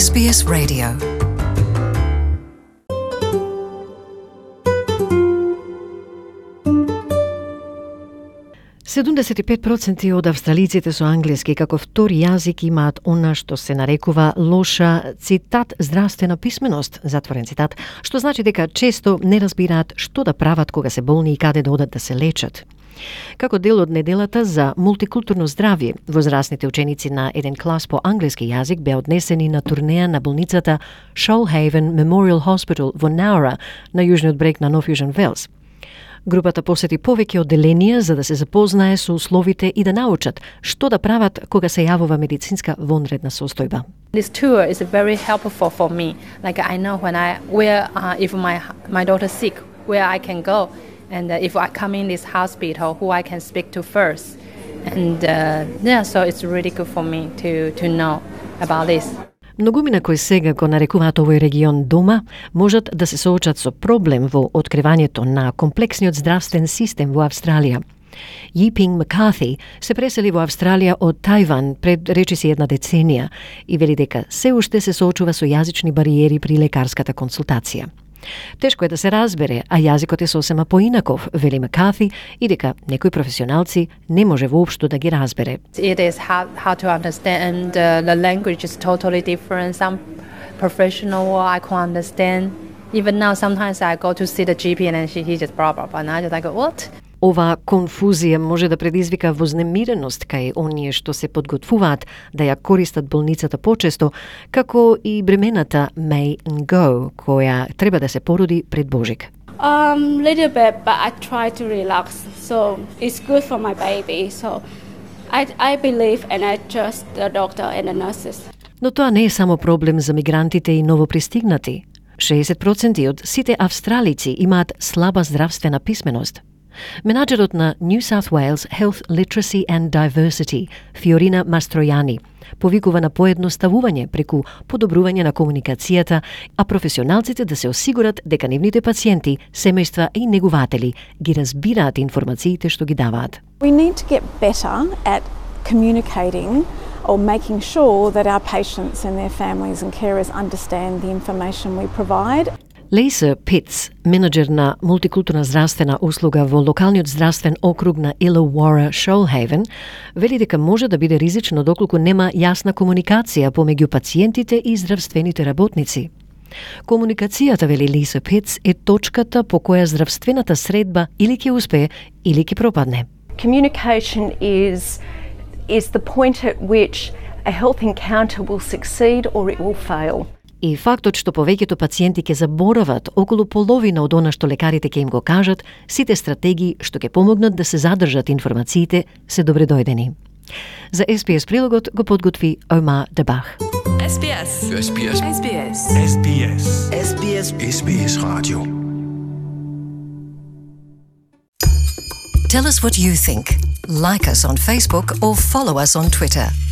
SBS Radio. %75% од австралиците со англиски како втори јазик имаат она што се нарекува лоша цитат здравствена писменост, затворен цитат, што значи дека често не разбираат што да прават кога се болни и каде да одат да се лечат. Како дел од неделата за мултикултурно здравје, возрастните ученици на еден клас по англиски јазик беа однесени на турнеја на болницата Shoalhaven Memorial Hospital во Nowra на јужниот брег на Нов Јужен Велс. Групата посети повеќе одделенија за да се запознае со условите и да научат што да прават кога се јавува медицинска вонредна состојба. This tour is very helpful for me. Like I know when if my daughter's sick, where I can go, and if I come in this hospital, who I can speak to first, and so it's really good for me to know about this. Многумина кои сега го нарекуваат овој регион дома, можат да се соочат со проблем во откривањето на комплексниот здравствен систем во Австралија. Yiping McCarthy се пресели во Австралија од Тајван пред речиси една деценија и вели дека се уште се соочува со јазични бариери при лекарската консултација. Тешко е да се разбере, а јазикот е сосема поинаков, вели Макарти, и дека некои професионалци не може воопшто да ги разбере. It is hard to understand. The language is totally different. Some professional I can't understand. Even now, sometimes I go to see the GP and he just blah blah blah, and I just like what? Ова конфузија може да предизвика вознемиреност кај оние што се подготвуваат да ја користат болницата почесто, како и бремената May Ngo, која треба да се породи пред Божик. Little bit, but I try to relax, so it's good for my baby. So I believe and I trust the doctor and the nurses. Но тоа не е само проблем за мигрантите и новопристигнати. 60% од сите австралици имаат слаба здравствена писменост. Менаџерот на New South Wales Health Literacy and Diversity, Фиорина Мастројани, повикува на поедноставување преку подобрување на комуникацијата, а професионалците да се осигурат дека нивните пациенти, семејства и негуватели ги разбираат информациите што ги даваат. We need to get better at communicating or making sure that our patients and their families and carers understand the information we provide. Лейса Питс, менеджер на мултикултурна здравствена услуга во локалниот здравствен округ на Illawarra Shoalhaven, вели дека може да биде ризично доколку нема јасна комуникација помеѓу пациентите и здравствените работници. Комуникацијата, вели Лейса Питс, е точката по која здравствената средба или ќе успее, или ќе пропадне. Communication is the point at which a health encounter will succeed or it will fail. И фактот што повеќето пациенти ќе заборават околу половина од она што лекарите ќе им го кажат, сите стратегии што ќе помогнат да се задржат информациите се добредојдени. За SBS прилогот го подготви Ома Дебах. SBS. SBS. SBS. SBS. SBS. SBS Radio. Tell us what you think. Like us on Facebook or follow us on Twitter.